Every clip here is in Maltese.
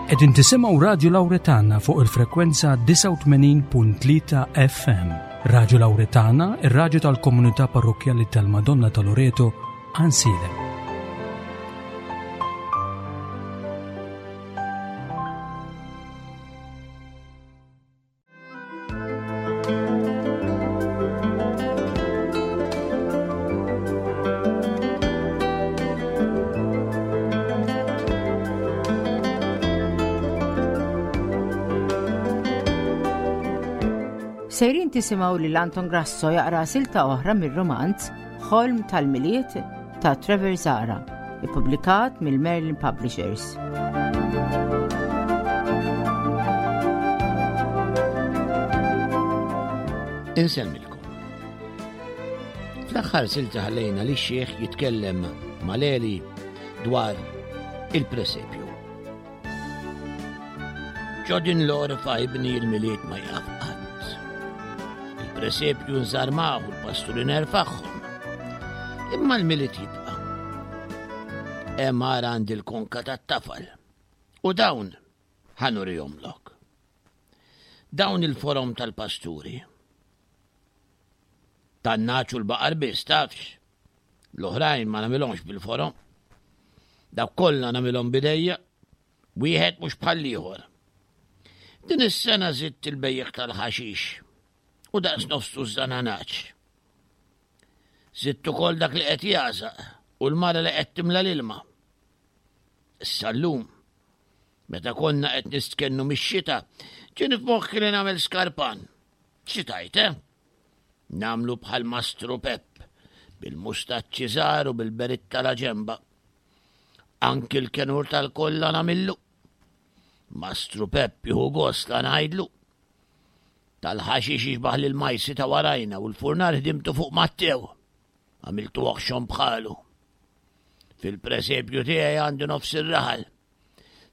Qegħdin tisimgħu Radju Lawretana fuq il-frekwenza 89.3 FM. Radju Lawretana, ir-radju tal-komunità parrokkjali tal-Madonna ta' Loreto, Ansilem. Sejrin tisimgħu lil Anton Grasso jaqra silta oħra mir-romanz Ħolm tal-Milied ta' Trevor Zara, ippubblikat mill-Merlin Publishers. Insemmilkom. Fl-aħħar silta ħallejna li x-xieħ jitkellem mal-Eli dwar il-presepju. Ġo din l-orfa ibni l-Milied ma jaf qatt. Il-presepju nżarmaw u l-pasturi nerfaħħom. Imma l-Milied jibqa'. Hemm ara għandi l-konka tat-tafal. U dawn ħanurihomlok. Dawn il-forom tal-pasturi. Tan-naċ u l-baqar biss tafx. L-oħrajn ma nagħmilhomx bil-forom. Dawk kollha nagħmilhom bidejja, wieħed mhux bħall-ieħor. Din is-sena żidt il-bejjiegħ tal-ħaxix u daqs nofs tużżana naċ. Żidt ukoll dak li qed jagħżaq u l-mara li qed timla l-ilma. Issa llum, meta konna qed nistkennu mix-xita, ġieni f'moħħi li nagħmel skarpan. Xi tgħid, eh? Nagħmlu bħal Mastru Pepp, bil-mustaċċi żgħar u bil-beritta la ġemba. Anki l-kenur tal-kolla nagħmillu. Mastru Pepp jieħu gost la ngħidlu. Tal-ħaxix jixbaħ lil majsi ta' warajna u l-furnar ħdimtu fuq Mattew. Għamiltu oħxon bħalu. Fil-presepju tiegħi għandi nofs ir-raħal.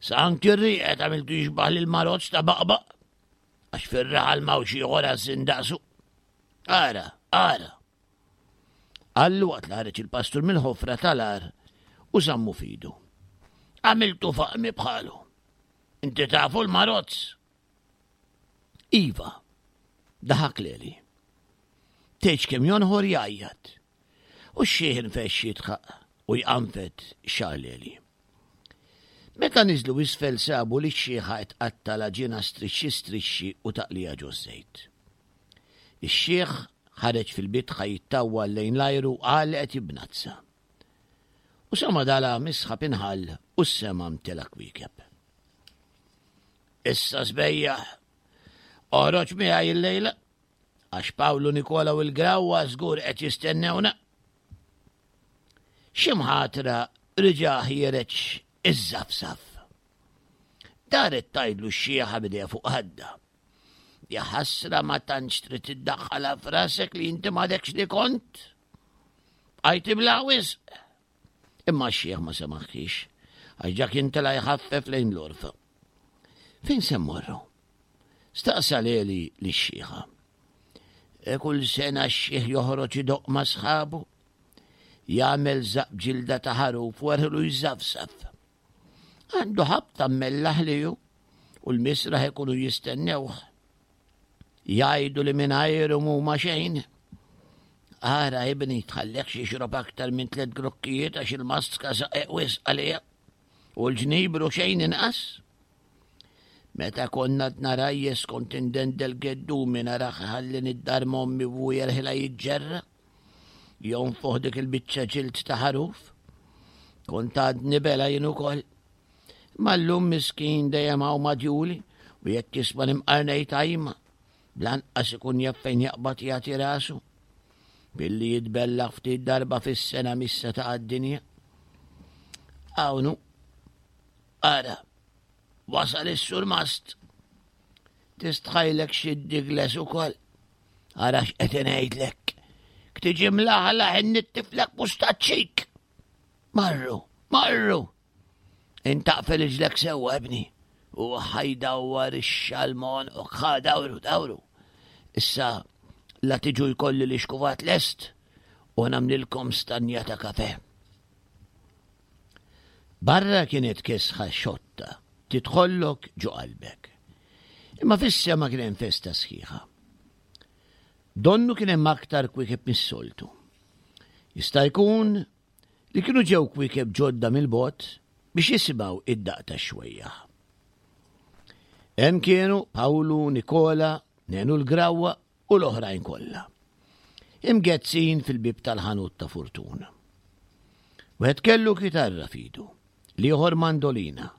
Sa anki r-rieqet għamiltu jixbaħ lil marozz ta' baqbaq. Għax fir-raħal m'hawnx ieħor għażżin daqsu. Ara, ara. Qallu waqt li ħareġ il-pastur mill-ħofra tal-għar u żammu fidu. Għamiltu faqmi bħalu. Inti tafu l-marozz? Iva, daħak leli. Tgħidx kemm jonħor jgħajjat. U x-xiħ infexx jidħaq u jqanfed xagħar Leli. Meta niżlu isfel sabu li x-xiħa qed tqatta' l-għaġina strixxi strixxi u taqliha ġoż-żejt. Ix-xiħ ħareġ fil-bitħa jittawwal lejn l-ajru u qal li qed jibnazza. U sa ma dalam is-sħab inħall u s-sema mtela kwiekeb. Issa sbejjaħ, oħroġ miegħi illejla. Għax Pawlu Nikola u l-Grawwa żgur qed jistennewna. Xi mħatra riġa' ħiereġ iż-żafsaf. Daret tgħidlu x-xieħa b'idejha fuq ħadda. Ja ħasra ma tantx trid iddaħħalha f'rasek li inti m'għadekx li kont. Bqajt ibla wisq. Imma x-xieħ ma semaħħiex, għax ġa kien tela' jħaffef lejn l-għorfa. Fejn se mmorru? Staqsa Leli lix-xiħa. E kull sena x-xiħ joħroġ idoqq ma' sħabu. Jagħmel żaqq b'ġilda ta' ħaruf u erħlu jżafżaf. Għandu ħabta mmellaħ li hu u l-misraħ ikunu jistennewh. Jgħidu li mingħajru m'huma xejn. Ara ibni tħallekx jixrob aktar minn tliet grokkijiet għax il-maska saqeq wisq għalija u l-ġnibru xejn inqas. Meta konna għadna rajjes kont indendel geddumi narah iħallini d-dar m'ommi u jerħilha jiġġerra. Jonfoħ dik il-biċċa ġild ta' ħaruf. Kont għadni bela jien ukoll. Imma llum miskin dejjem hawn madjuli u jekk jisma' nimqar ngħid ajma, bl-anqas ikun jaf fejn jaqbad jagħti rasu. Billi jitbellaħ ftit darba fis-sena missa ta' għad-dinja. Hawn hu. Ara, Wasal is-surmast. Tistħajlek xi digles ukoll. Ara x'qed ngħidlek. Ktiġi mlaħlaħ innittiflek mustaċċik. Marru, marru. Intaqfel iġlek sewwa ibni. U ħajdawwar ix-xalmon u ħa dawru, dawru. Issa la tiġu jkolli li xkuvat lest u nagħmlilkom stanja ta' kafe. Barra kienet kesħa xotta. Tidħollok ġo qalbek. Imma fis-sema kien hemm festa sħiħa. Donnu kien hemm aktar kwiekeb mis-soltu. Jista' jkun li kienu ġew kwiekeb ġodda mill-bogħod biex jisimgħu id-daqq tax-xwejjaħ. Hemm kienu Pawlu, Nikola, Nenu l-Grawwa u l-oħrajn kollha. Imgezzin fil-bieb tal-ħanut ta' Furtuna. Wieħed kellu kitarra f'idu, l-ieħor mandolina,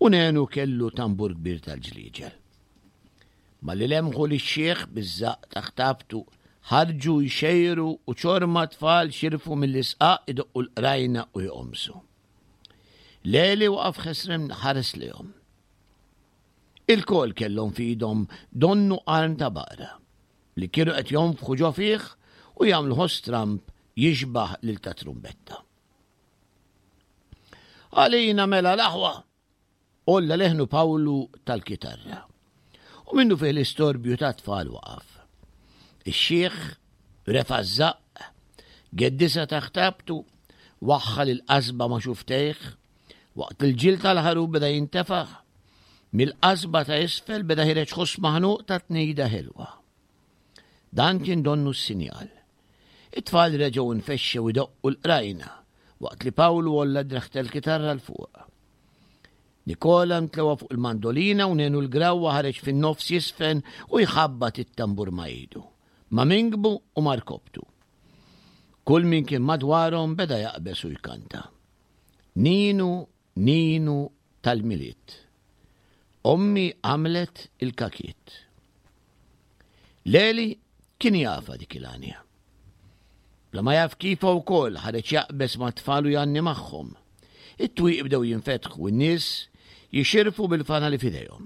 u Nenu kellu tambur kbir tal-ġlieġel. Malli lemħu lix-xiħ biż-żaqq ta' ħtabtu, ħarġu jxejru u ċorma tfal xirfu mill-isqaq idoqqu l-qrajna u joqomsu. Leli waqaf ħesrem ħares lejhom. Ilkoll kellhom f'idhom donnu qarn ta' baqra li kienu qed jonfħu ġo fih u jagħmlu ħoss stramb jixbah lil ta' trumbetta. Għalina mela l-aħwa! Għolla leħnu Pawlu tal-kitarra. U minnu fih l-istorbju ta' tfal waqaf. Ix-xiħ refa' ż-żaqq, geddisha taħt rabtu, waħħal il-qasba ma' xuftejh, waqt il-ġild tal-ħaruf beda jintefaħ. Mill-qasba ta' isfel beda ħireġ ħoss maħnuq ta' tnejda ħelwa. Dan kien donnu s-sinjal. It-tfal reġgħu nfexxew idoqqu l-qrajna waqt li Pawlu għolla d-dreħ tal-kitarra 'l fuq. Nikola ntlewa fuq il-mandolina u Nenu l-Grawwa ħareġ fin-nofs jiżfen u jħabbat it-tambur ma' idu, ma' minkbu u ma' rkopptu. Kull min kien madwarhom beda jaqbeż u jkanta. Ninu, Ninu tal-Milied. Ommi għamlet il-kakiet. Leli kien jafha dik il-għanja. Bla ma jaf kif wkoll ħareġ jaqbeż mat-tfal u jgħanni magħhom. It-twieqi bdew jinfetħu u n-nies jixirfu bil-fanali f'idejhom.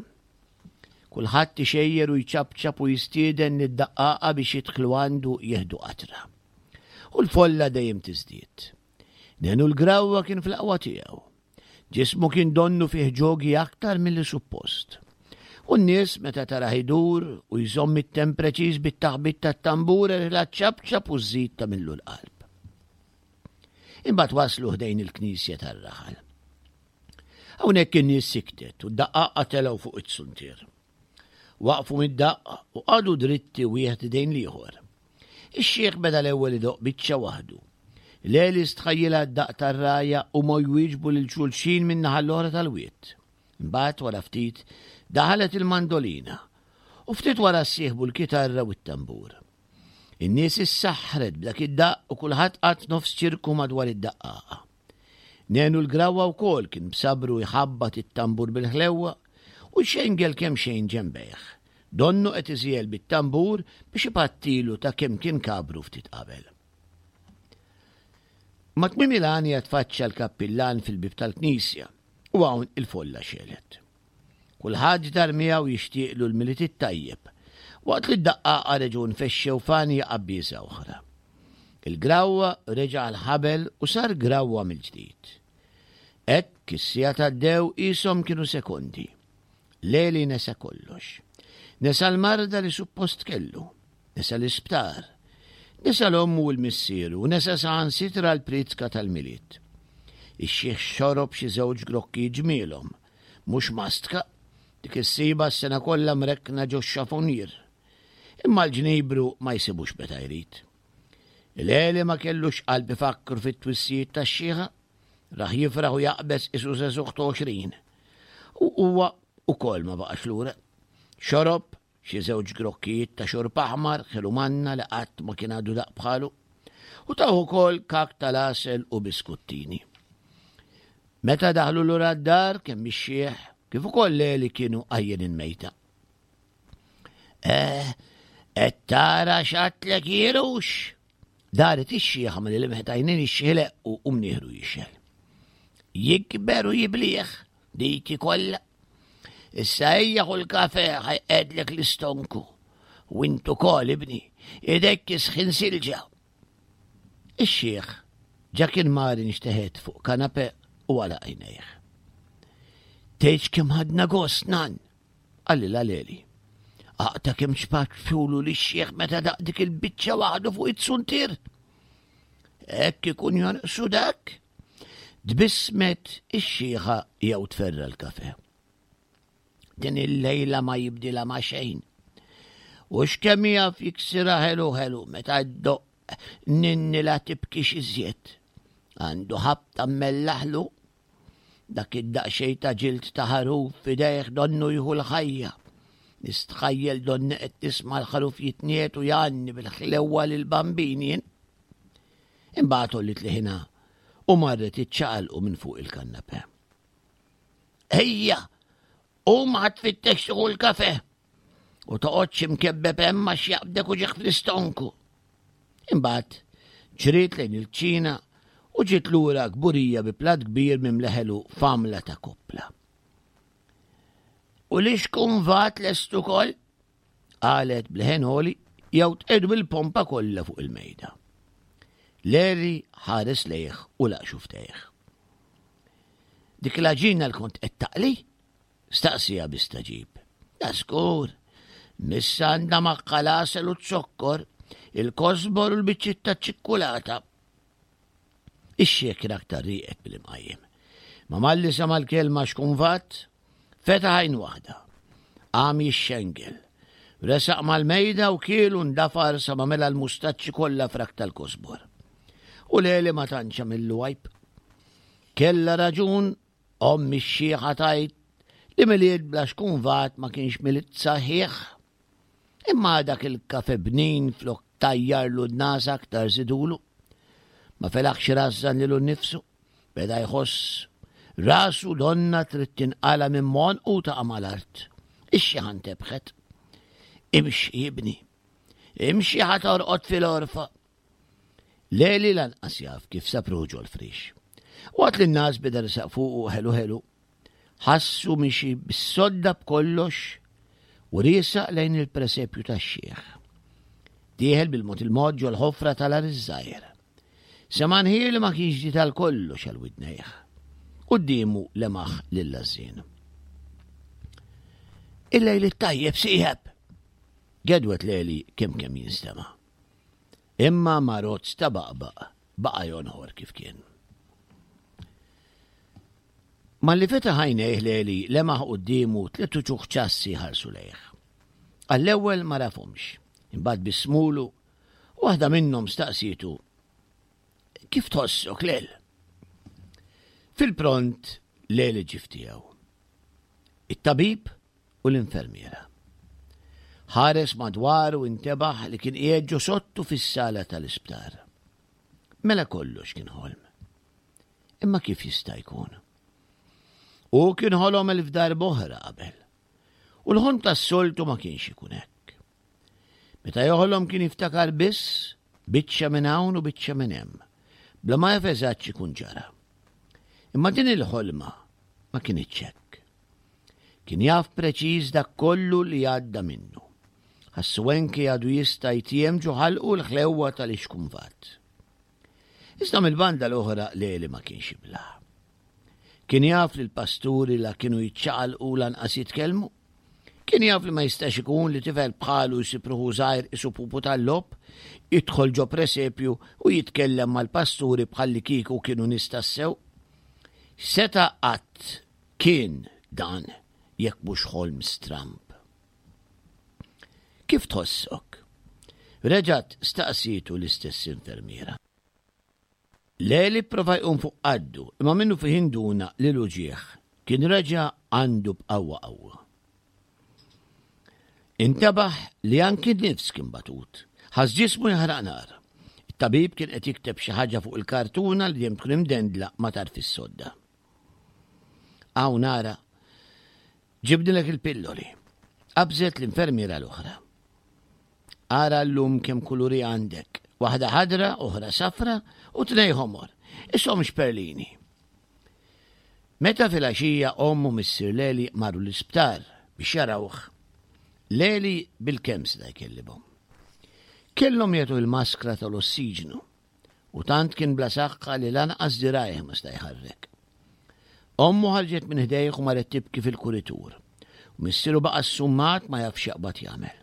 Kulħadd ixejjer u jċapċap u jistieden lid-daqqaqa biex jidħlu għandu jieħdu qatra. U l-folla dejjem tiżdied. Nenu l-Grawwa kien fl-aqwa tiegħu. Ġismu kien donnu fih ġogi aktar milli suppost. U n-nies meta tarah idur u jżomm it-temp preċiż bit-taħbit tat-tambur erħilha ċċapċap u żżid tagħmillu l-qalb. Imbagħad waslu ħdejn il-knisja tar-raħal. Hawnhekk in-nies siktet u d-daqqaqqa telgħu fuq it-suntier. Waqfu mid-daqq u qagħdu dritti wieħed idejn l-ieħor. Ix-xiħ beda l-ewwel idoqq biċċa waħdu. Leli stħajjilha d-daqq tar-rgħajja u ma jwieġbu lil xulxin min-naħa l-oħra tal-wied. Imbagħad wara ftit daħalet il-mandolina u ftit wara ssieħbu l-kitarra u t-tambur. In-nies issaħħret b'dak id-daqq u kulħadd qagħad f'nofs ċirku madwar id-daqqaqa. Nenu l-Grawwa wkoll kien b'sabru jħabbat it-tambur bil-ħlewwa u jxengel kemxejn ġenbejh. Donnu qed iżiegħel bit-tambur biex ipattilu ta' kemm kien kabru ftit qabel. Ma' tmiem il-għanja tfaċċa l-kappillan fil-bieb tal-knisja u hawn il-folla xegħlet. Kulħadd dar miegħu jixtieqlu l-Milied it-tajjeb, waqt li d-daqqaqa reġgħu nfexxew f'għanja qabbiesa oħra. Il-grawwa reġa' għall-ħabel u sar grawwa mill-ġdid. Hekk is-sigħat għaddew qishom kienu sekondi. Leli nesa kollox. Nesa l-marda li suppost kellu. Nesa l-isptar. Nesa l-ommu u l-missieru u nesa saħansitra l-priedka tal-Milied. Ix-xiħ xorob xi żewġ grokkijiet ġmielhom. Mhux mastka, dik issibha s-sena kollha mrekkna ġox-xafonier. Imma l-ġnibru ma jsibux meta jrid. Il-għeli ma kellux qalb ifakkru fit-twissijiet tax-xiħa, rah jifraħ u jaqbeż qisu żagħżugħ ta' 20. U huwa ukoll ma baqax lura. Xorob xi żewġ grokkijiet ta' xorb aħmar ħelu manna li qatt ma kien għadu daq bħalu, u tawh ukoll kak tal-għasel u biskuttini. Meta daħlu lura d-dar kemm ix-xiħ kif ukoll Leli kienu għajjenin mejta. Eh, qed tara x'għadtlek jirux? Daret ix-xiħa malli lemħet għajnejn ix-xiħ u mnieħru jixgħel. Jikber u jiblieħ dik kollha. Issa ejja ħu l-kafe ħajqedlek l-istonku. U int ukoll ibni, idek kisħin silġa. Ix-xiħ ġa kien mar inxteħet fuq kanape u għalaq għajnejh. Tgħidx kemm ħadna gost nan, qalilha Leli. Aqta kemm xpaċċulu li x-xiħ meta daq dik il-biċċa waħdu fuq it-suntier. Hekk ikun jonqsu dak. Tbissmet ix-xiħa jew tferra l-kafe. Din il-lejla ma jibdilha ma' xejn. U x'kemm jaf jiksirha ħelu ħelu meta ddoqq ninni la tibkix iżjed. Għandu ħabta mmellaħlu dak id-daqsxejn ta' ġild ta' ħaruf f'idejh donnu jieħu l-ħajja. Nistħajjel donni qed nisma' l-ħaruf jitniet u jgħanni bil-ħlewwa lill-bambin jien. Imbagħad għolliet liħinha u marret iċċaqalqu minn fuq il-kannape. Ejja, qum ħa tfittex tieħu l-kafe u toqgħodx imkebbeb hemm għax jaqbdek uġigħ fl-istonku. Imbagħad ġriet lejn il-kċina u ġiet lura kburija bi platt kbir mimli ħelu f'għamla ta' koppla. U li xkun vat lest ukoll? Qalet b'leħen għoli jew tqiegħdu bil-pompa kollha fuq il-mejda. Larry ħares lejh u laq xuftejh. Dik l-għaġina li kont qed taqli? Staqsija bi staġib. Da żgur. Missa għandha magħha l-għasel u z-zokkor, il-kosbor u l-biċċiet taċ-ċikkulata. Ix-xiekra aktar rieqet mill-imqajjem. Ma malli sema' l-kelma xkunvat, fetaħ għajn waħda. Qam jixxengel. Resaq mal-mejda u kiel u ndafar sa ma mela l-mustaċċi kollha frak tal-kosbor. U Leli ma tantx għamillu għajb. Kellha raġun omm ix-xiħa tgħid li Milied bla xkunvat ma kienx Milied saħiħ. Imma dak il-kafe bnin flok tajjarlu d-nas aktar żidulu. Ma felaħx irażżan lilu nnifsu. Beda jħoss rasu donna trid tinqala minn m'għonqu u taqa' mal-art. Ix-xiħa ntebħet. Imxi ibni. Imxi ħa torqod fil-għorfa. Leli lanqas jaf kif sab ruħu ġol-friex. Waqt li n-nas beda resaq fuqu ħelu ħelu, Ħassu mixi bis-sodda b'kollox u riesaq lejn il-presepju tax-xiħ. Dieħel bil-mod il-mod ġol-ħofra tal-għar iż-żgħir. Sema' nħir li ma kienx ġdid għal kollox għal widnejh. Quddiemu lemaħ lil Għażżien. Il-lejl it-tajjeb sieħeb! Gedwet Leli kemm kemm jinstema'. Imma ma rozz ta' baqbaq baqa' jonħor kif kien. Malli fetaħ għajnejh Leli lemaħ quddiemu tliet uċuħ ċassi jħarsu lejh. Għall-ewwel ma rafhomx, imbagħad bissmulu u waħda minnhom staqsietu Kif tħossok, Lel? Fil-pront Leli ġie f'tiegħu. It-tabib u l-infermiera. Ħares madwaru u intebaħ li kien qiegħed ġo sottu fis-sala tal-isptar. Mela kollox kien ħolm. Imma kif jista' jkun? Hu kien ħolom elf darb'oħra qabel. U l-ħolm tas-soltu ma kienx ikun hekk. Meta joħlom kien jiftakar biss biċċa minn hawn u biċċa minn hemm, bla ma jaf eżatt x'ikun ġara. Imma din il-ħolma ma kinitx hekk. Kien jaf preċiż dak kollu li għadda minnu. Ħassu anki għadu jista' jtiem ġo ħalqu l-ħlewwa tal-ixkumvat. Iżda mill-banda l-oħra Leli ma kienx iblah. Kien jaf li l-pasturi la kienu jiċċaqalqu lanqas jitkellmu. Kien jaf li ma jistax ikun li tifel bħalu jsib ruħu żgħir isu pupu tal-logħob, jidħol ġo presepju u jitkellem mal-pasturi bħallikieku kienu nies tassew. X'seta' qatt kien dan jekk mhux ħolm stramb? Kif tħossok? Reġgħet staqsietu l-istess infermiera. Leli pprova jqum fuq qaddu imma minnufih induna li l-uġigħ kien reġa' għandu b'qawwa qawwa. Intebaħ li anki n-nifs kien batut. Ħass ġismu jaħraq nar. It-tabib kien qed jikteb xi ħaġa fuq il-kartuna li dejjem tkun imdendla ma' tarf is-sodda. Hawn ara, Ġibnilek il-pilloli. Qabżet l-infermiera l-oħra. Ara llum kemm kuluri għandek. Waħda ħadra, oħra safra u tnej ħomor. Ishom xperlini. Meta filgħaxija omm u missier Leli marru l-isptar biex jarawh, Leli bilkemm seta' jkellimhom. Kellhom jagħtuh il-maskra tal-ossiġnu u tant kien bla saħħa li lanqas dirgħajh ma sta' jħarrek. Ommu ħarġet minn ħdejh u marret tibki fil-kuritur, u missieru baqa' ssummat ma jaf x'jaqbad jagħmel.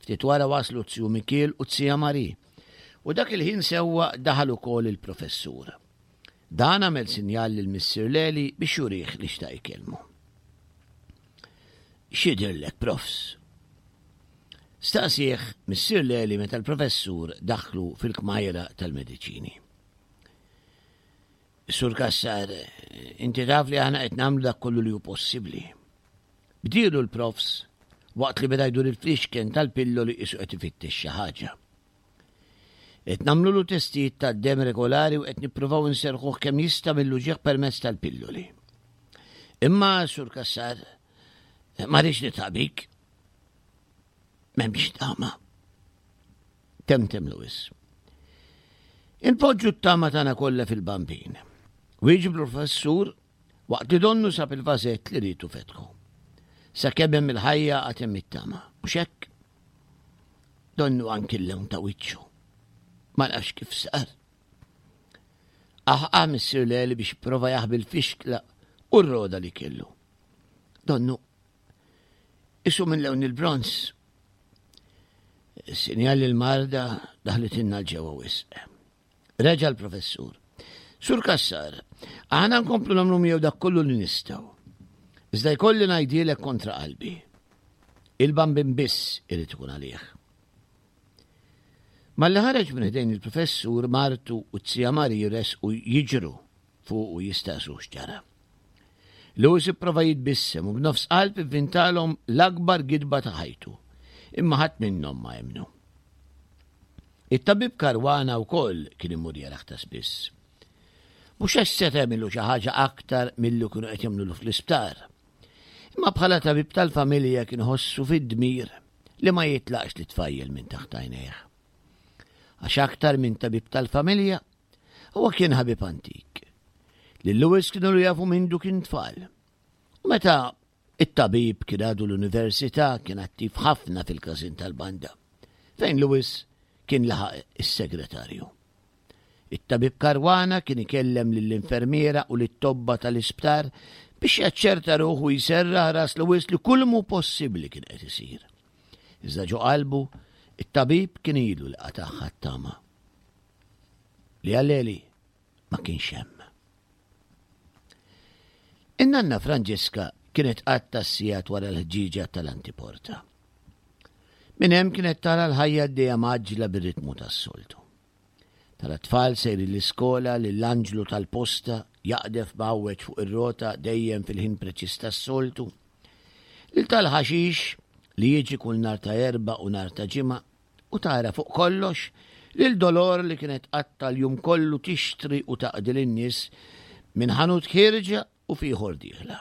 Ftit wara waslu z-ziju Mikiel u z-zija Marie, u dak il-ħin sewwa daħal ukoll il-professur. Dan għamel sinjal lil missier Leli biex jurih li xtaq ikellmu. X'jidhirlek, Profs? Staqsieh Missier Leli meta l-Professur daħħlu fil-kmajra tal-mediċini. Sur Cassar, inti taf li aħna qed nagħmlu dak kollu li hu possibbli. Bdielu l-Profs waqt li beda jdur il-flixken tal-pilloli qisu qed ifittex xi ħaġa. Qed nagħmlulu testijiet tad-demm regolari u qed nippruvaw inserrħuh kemm jista' mill-uġigħ permezz tal-pilloli. Imma, Sur Cassar, ma rridx nitħaq bik. M'hemmx tama. Temtem Lewis. Inpoġġu t-tama tagħna kollha fil-bambin. Wieġeb l-professur waqt li donnu sab il-vażett li rietu fetħu. Sakemm hemm il-ħajja għad hemm it-tama. Mhux hekk? Donnu anki l-lewn ta' wiċċu. Ma nafx kif sar. Aħqa missier Leli biex prova jaħbi l-fixkla u r-roda li kellu. Donnu, isu minn lewn il-bronz. Sinjal li l-marda daħlet inna l-ġewwa wisq. Reġa' l-professur. Sur Cassar, aħna nkomplu nagħmlu miegħu dak kollu li nistgħu. Iżda jkolli ngħidilek kontra qalbi. Il-bambin biss irid ikun għalih. Malli ħareġ minn ħdejn il-professur, martu u t-zija Mari resqu jiġru fuq u jistaqsu x'ġara. Lewis ipprova jitbissem u b'nofs qalb ivvintalhom l-akbar gidba ta' ħajtu, imma ħadd minnhom ma emmnu. It-tabib Caruana wkoll kien imur jarah ta' spiss. Mhux għax seta' jagħmillu xi ħaġa aktar milli kienu qed jagħmlulu fl-isptar. Imma bħala tabib tal-familja kien iħossu fid-dmir li ma jitlaqx lit-tfajjel minn taħt għajnejh. Għax aktar minn tabib tal-familja, huwa kien ħabib antik. Lil Lewis kienu jafu mindu kien tfal. U meta It-tabib kien għadu l-università kien attiv ħafna fil-każin tal-banda, fejn Lewis kien laħaq is-segretarju. It-tabib Caruana kien ikellem lill-infermiera u lit-tobba tal-isptar biex jaċċerta ruħu jserraħ ras Lewis li kull mhu possibbli kien qed isir. Iżda ġo qalbu, it-tabib kien ilu li qatagħha t-tama. Li għal Eli ma kienx hemm. In-nanna Franġiska kienet tqatta' s-sigħat wara l-ħġieġa tal-antiporta. Minn hemm kienet tara l-ħajja għaddejja mgħaġġla bir-ritmu tas-soltu. Tara t-tfal sejrin l-iskola, lill-anġlu tal-posta jaqdef mgħawweġ fuq ir-rota dejjem fil-ħin preċiż tas-soltu, lil tal-ħaxix li jiġi kull nhar ta' Erbgħa u nhar ta' Ġimgħa U tara fuq kollox lil Dolor li kienet tqatta' l-jum kollu tixtri u taqdi lin-nies minn ħanut ħierġa u f'ieħor dieħla.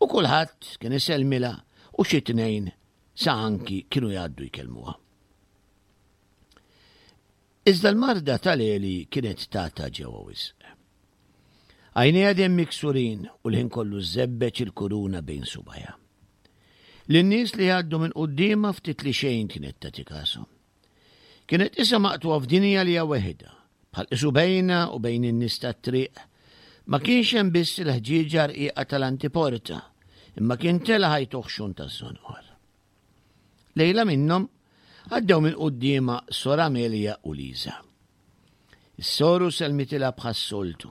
U kulħadd kien isellmilha u xi tnejn sa anki kienu jgħaddu jkellmuha. Iżda l-marda tal-Eli kienet tagħta ġewwa wisq. Għajnejha dejjem miksurin u l-ħin kollu żżebbeġ il-kuruna bejn subgħajha. Lin-nies li jgħaddu minn quddiemha ftit li xejn kienet tagħti kashom. Kienet qisha maqtugħa f'dinja li hija weħidha, bħal qisu bejnha u bejn in-nies tat-triq ma kienx hemm biss il-ħġieġa rqiqa tal-antiporta, imma kien tela' ħajt oħxon taż-żonqor. Lejla minnhom għaddew minn quddiemha Sor Amelia u Liża. Is-soru sellmitilha bħas-soltu.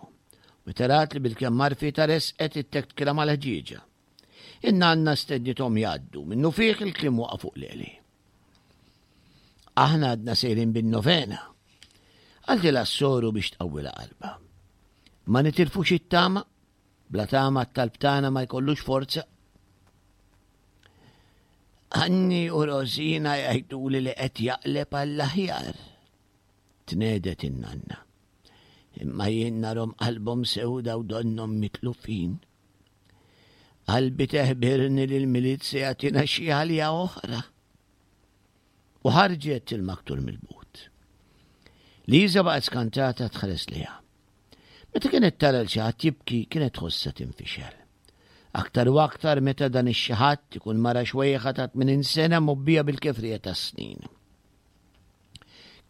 Meta rat li bilkemm għarfitha resqet ittektkilha mal-ħġieġa. In-nanna stednithom jgħaddu, minnufih il-kliem waqa' fuq Leli. Aħna għadna sejrin bin-novena. Qaltilha s-soru biex tqawwilha qalbha. Ma nitilfux it-tama, bla tama t-talb tagħna ma jkollux forza. Anni u Rosina jgħiduli li qed jaqleb għall-aħjar. Tnehdet in-nanna. Imma jien narhom qalbhom sewda u donnhom mitlufin. Qalbi teħbirni li l-Milied se jagħtina xi għalja oħra. U ħarġet il-maktur mill-but. Liża baqgħet skantata tħares liha. Meta kienet tara l xi ħadd jibki kienet tħossha tinfixel. Aktar u aktar meta dan ix-xi ħadd ikun mara xwejħa ta' 80 sena mobbija bil-kefrija tas-snin.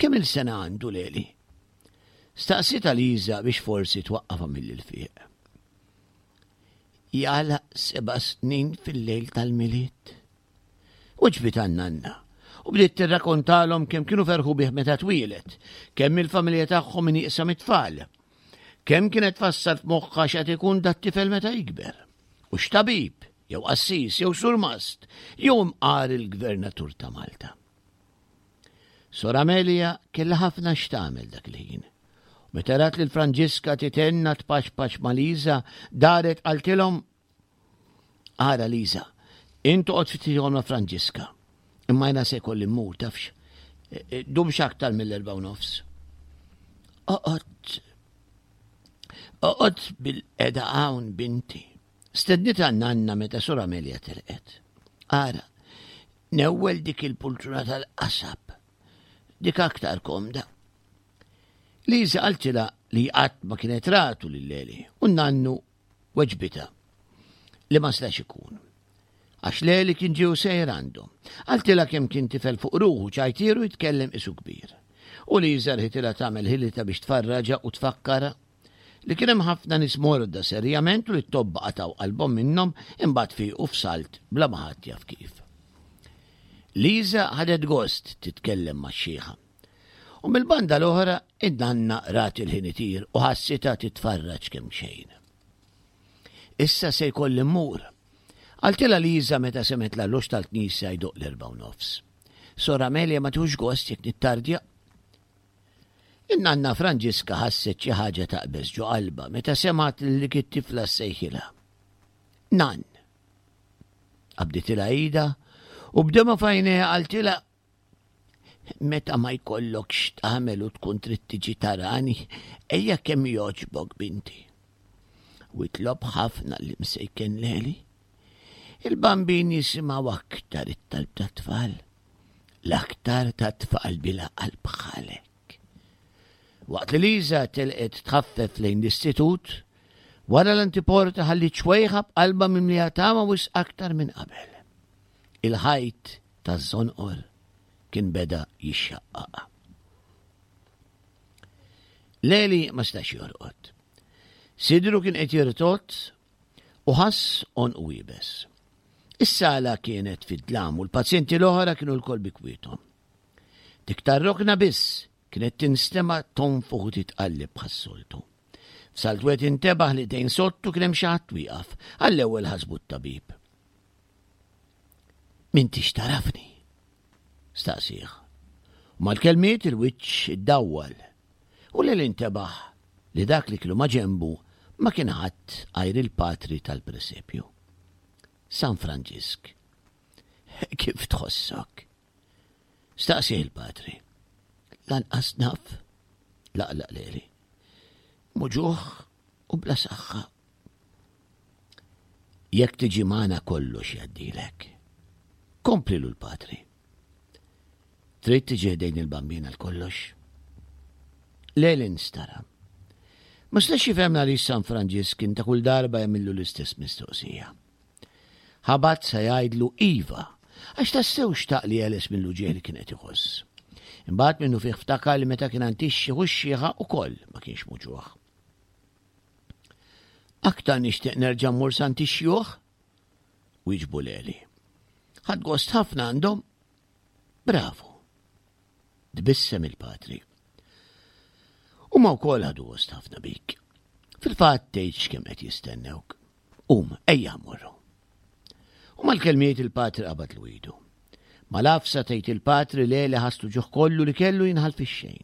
Kemm il sena għandu Leli? Staqsitha Liża biex forsi twaqqafha mill-ilfiq. Jagħlaq seba' snin fil-lejl tal-Milied. Wiġbitha n-nanna u bdiet tirrakontalhom kemm kienu ferħu bih meta twieled, kemm il-familja tagħhom nieqsa mit-tfal. Kemm kienet tfassal f'moħħha x'qed ikun dat-tifel meta jikber. U x'tabib! jew qassis, jew surmast, jew imqar il-gvernatur ta' Malta. Sor Amelia kellha ħafna x'tagħmel dak il-ħin. Meta rat lil Franġiska titenna tpaċpaċ ma' Liża, daret qaltilhom Ara Liża, int toqgħod ftit ieħor ma' Franġiska. Imma jiena se jkolli mmur tafx. E, e, dumx aktar mill-erba' u nofs. Oqgħod Oqgħod bil-qeda hawn binti. Stednitha nanna meta Sor Amelia telqet. Ara, newwel dik il-pultruna tal-qasab. Dik aktar komda. Liża qaltilha li qatt ma kienet ratu lil Leli u nannu weġbitha li ma setax ikun. Għax Leli kien ġie u sejjer għandhom. Qaltilha kemm kien tifel fuq ruħu ċajtieru jitkellem qisu kbir. U Liża rħitilha tagħmel ħilitha biex tfarraġha u tfakkarha li kien hemm ħafna nies morda serjament u li t-tobba qatgħu qalbhom minnhom imbagħad fiequ f'salt bla ma ħadd jaf kif. Liża ħadet gost titkellem max-xiħa. U mill-banda l-oħra, in-nanna rat il-ħin itir u ħassitha titfarraġ kemm xejn. Issa se jkolli mmur. Qaltilha Liża meta semgħet l-arloġġ tal-knisja jdoqq l-erbgħa u nofs. Sor Amelia ma tieħux gost jekk nittardja. In-nanna Franġiska ħasset xi ħaġa taqbeż ġo qalbha meta semgħet lil dik it-tifla ssejħilha. Nann. Qabditilha idha u b'demgħa f'għajnejha qaltilha Meta ma jkollokx x'tagħmel u tkun trid tiġi tarani, ejja kemm jogħġbok binti. U itlob ħafna li msejken leli. Il-bambin jisimgħu aktar it-talb tat-tfal, l-aktar tat-tfal bila qalb bħalek. Waqt li Liża telqet tħaffef lejn l-istitut, wara l-antiporta ħalliet xwejħa b'qalba mimlija tama wisq aktar minn qabel. Il-ħajt taż-żonqor kien beda jixxaqqaq. Leli ma stax jorqod. Sidru kien qed jirtot u ħass għonqu iebes. Is-sala kienet fid-dlam u l-pazjenti l-oħra kienu lkoll bi kwiethom. Dik tar-rokna biss kienet tinstema' tonfoħ u titqalleb bħas-soltu. F'salt wieħed intebaħ li dejn sottu kien hemm xi ħadd wieqaf, għall-ewwel ħasbu t-tabib. M'intix tarafni? staqsih. U mal-kelmiet il-wiċċ iddawwal u lil intebaħ li dak li kienu maġenbu ma kien ħadd għajr il-patri tal-presepju. San Franġisk. Kif tħossok? Staqsih il-patri. Lanqas naf, laqlaq leli. Muġuħ u bla saħħa. Jekk tiġi magħna kollox jgħaddilek. Komplilu l-patri. Trid tiġi ħdejn il-bambin għal kollox? Lelin stara. Ma stax jifhem għaliex San Franġisk kien ta' kull darba jagħmillu l-istess mistoqsija. Ħabat sa jgħidlu iva, għax tassew xtaq li jeles mill-uġigħ li kien qed iħoss. Imbagħad minnu fih ftakar li meta kien għand ix-xiħ u x-xiħa ukoll ma kienx muġugħ. Aktar nixtieq nerġa' mmur Sant ix-xjuħ? Wieġbu Leli. Ħadt gost ħafna għandhom. Bravu. Tbissem il-patri. Huma wkoll ħadu gost ħafna bik. Fil-fatt tgħidx kemm qed jistennewk. Qum, ejja mmorru. U mal-kelmiet il-patri qabad l idu. Mal-għafsa tgħid il-patri le li ħass l-uġigħ kollu li kellu jinħall fix-xejn.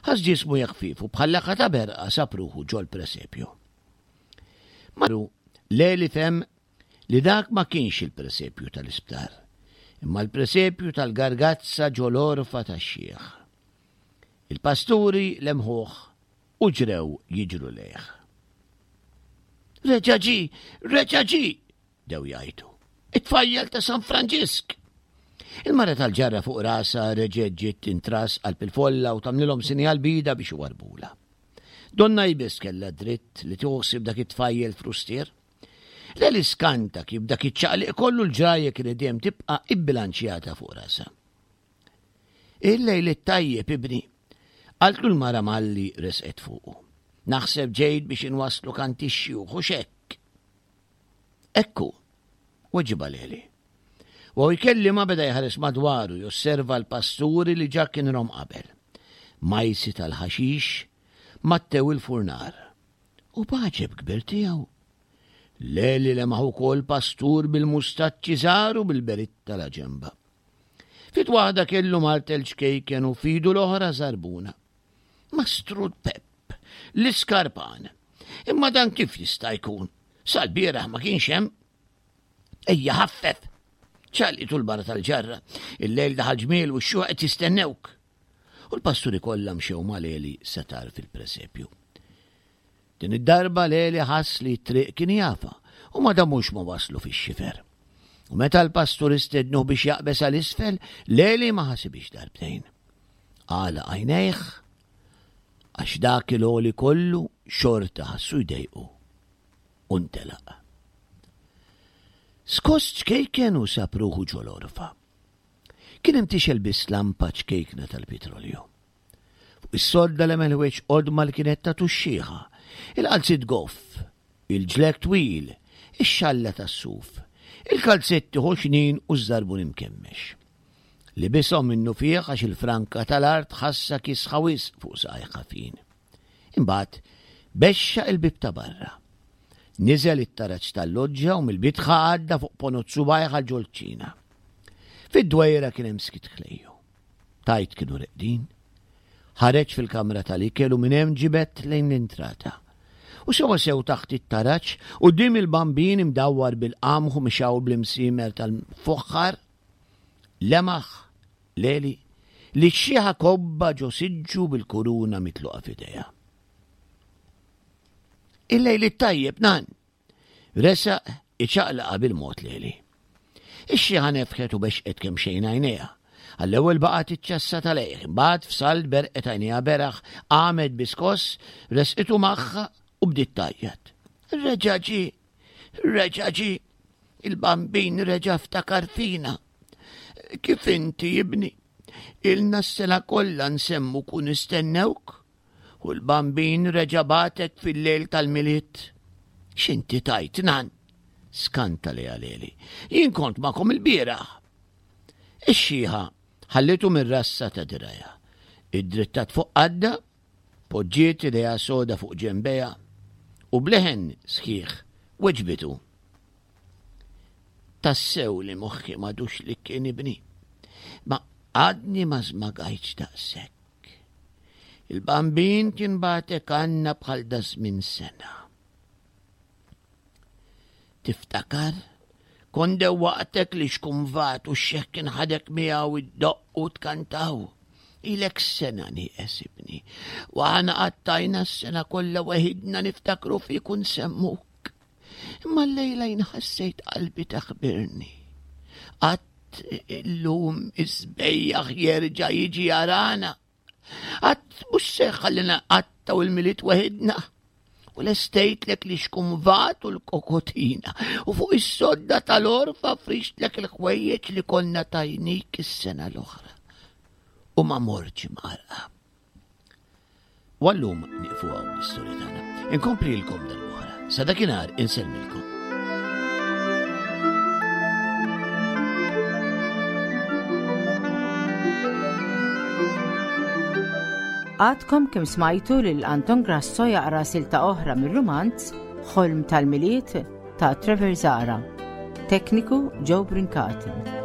Ħass ġismu jeħfief u bħal laqgħa ta' berqa sab ruħu ġol-presepju. Maru le li fehem li dak ma kienx il-presepju tal-isptar, imma l-presepju tal-gargazza ġol-għorfa tax-xiħ. Il-pasturi lemħuh u ġrew jiġru lejh. Reġa' ġie! Reġa' ġie! Bdew jgħajtu. It-tfajjel ta' San Franġisk! Il-mara tal-ġarra fuq rasha reġgħet ġiet tintras qalb il-folla u tagħmlilhom sinjal b'idha biex iwarrbulha. Donna hi biss kellha d-dritt li tieħu ħsieb dak it-tfajjel frustier. Leli skanta kif dak iċ-ċaqliq kollu l-ġrajja kienet dejjem tibqa' ibbilanċjata fuq rasha. Il-lejl it-tajjeb, ibni, qaltlu l-mara malli resqet fuqu. Naħseb ġejt biex inwasslu kant ix-xjuħ u x'hekk. Hekk hu, weġibha Leli. U jkellimha beda jħares madwaru josserva l-pasturi li ġa kien rom qabel. Majsi tal-ħaxix mattew il-furnar. U b'għaġeb kbir tiegħu. Leli lemaħ ukoll pastur bil-mustaċċi żgħar u bil-beritta la ġemba. Fit waħda kellu martel ċkejken u fidu l-oħra żarbuna. Mastru Pepp, l-iskarpan. Imma dan kif jista' jkun? Sal-bieraħ ma kienx hemm. Ejja ħaffef! Ċalqitu l-barra tal-ġarra, il-lejl daħal ġmiel u x-xjuħ qed jistennewk. U l-pasturi kollha mxew ma' Leli sa tarf il-presepju. Din id-darba Leli ħass li t-triq kien jafha u ma damux ma waslu fix-xifer. U meta l-pastur istednuh biex jaqbeż għal isfel, Leli ma ħasibhiex darbtejn. Għalaq għajnejh għax dak il-għoli kollu xorta ħassu jdejqu u ntelaq. Skoss ċkejken u sab ruħu ġol-għorfa. Kien hemm tixgħel biss lampa ċkejkna tal-pitrolju. Fuq is-sodda lemel ħwejġ qodma li kienet tagħtu x-xiħa, il-qalziet goff, il-ġlekk twil, ix-xalla tas-suf, il-kalzetti ħoxnin u ż-żarbun imkemmex. Libishom minnufih għax il-franka tal-art ħassha kiesħa wisq fuq saqajh ħafin. Imbagħad bexxaq il-bieb ta' barra. Niżel it-taraġ tal-loġġa u mill-bitħa għadda fuq ponot subgħajh għal ġol-kċina. Fid-dwejra kien hemm skiet ħlejju. Tgħid kienu reqdin. Ħareġ fil-kamra tal-ikel u minn hemm ġibed lejn l-intrata. U sewwa sew taħt it-taraġ, quddiem il-bambin imdawwar bil-qamħ u mixgħul bl-imsiemer tal-fuħħar, lemaħ Leli, li x-xiħa kobba ġo siġġu bil-kuruna mitluqa f'idejha. Il-lejl it-tajjeb, nan! Resaq iċaqlaqa bil-mod Leli. Ix-xiħa nefħet u bexqet kemxejn għajnejha. Għall-ewwel baqgħet iċċassa tal-għejh, imbagħad f'salt berqet għajnejha beraħ, qamet bi skoss, resqitu magħha u bdiet tgħajjat. Reġa' ġie! Reġa' ġie! Il-Bambin reġa' ftakar fina! Kif inti, ibni? Ilna s-sena kollha nsemmuk u nistennewk, u l-Bambin reġa' bagħtek fil-lejl tal-Milied. X'inti tgħid, nan? Skanta lejha Leli. Jien kont magħkom ilbieraħ. Ix-xiħa ħallitu mir-rassa ta' dirgħajha. Iddrittat fuq qaddha, poġġiet idejha soda fuq ġenbejha u b'leħen sħiħ weġbitu. Tassew li moħħi m'għadux li kien ibni. Ma għadni ma żmagajtx daqshekk. Il-bambin kien bagħtek għandna bħal dażmien sena. Tiftakar? Kont dewwaqtek li xkumvat u x-xeħ kien ħadek miegħu iddoqq u tkantaw. Ilek sena nieqes ibni, u aħna qattajna s-sena kollha weħidna niftakru fik u nsemmuk. Imma llejla jien ħassejt qalbi taħbirni. Qatt illum is-sbejjaħ jerġa' jiġi jarana. Qatt mhux se jħallina nqattgħu il-Milied weħidna. U lestejtlek li xkumvat u l-kokotina u fuq is-sodda tal-orfa frixtlek il-ħwejjeġ li konna tajnik is-sena l-oħra. U ma mortx imqarqa. U għallum nieqfu hawn l-istorja tagħna. Inkomplilkom darb'oħra. Sa dakinhar insellmilkom. Għadkom kemm smajtu lil Anton Grasso jaqra silta oħra mir-rumanz Ħolm tal-Milied ta' Trevor Zahra. Tekniku Joe Brincat.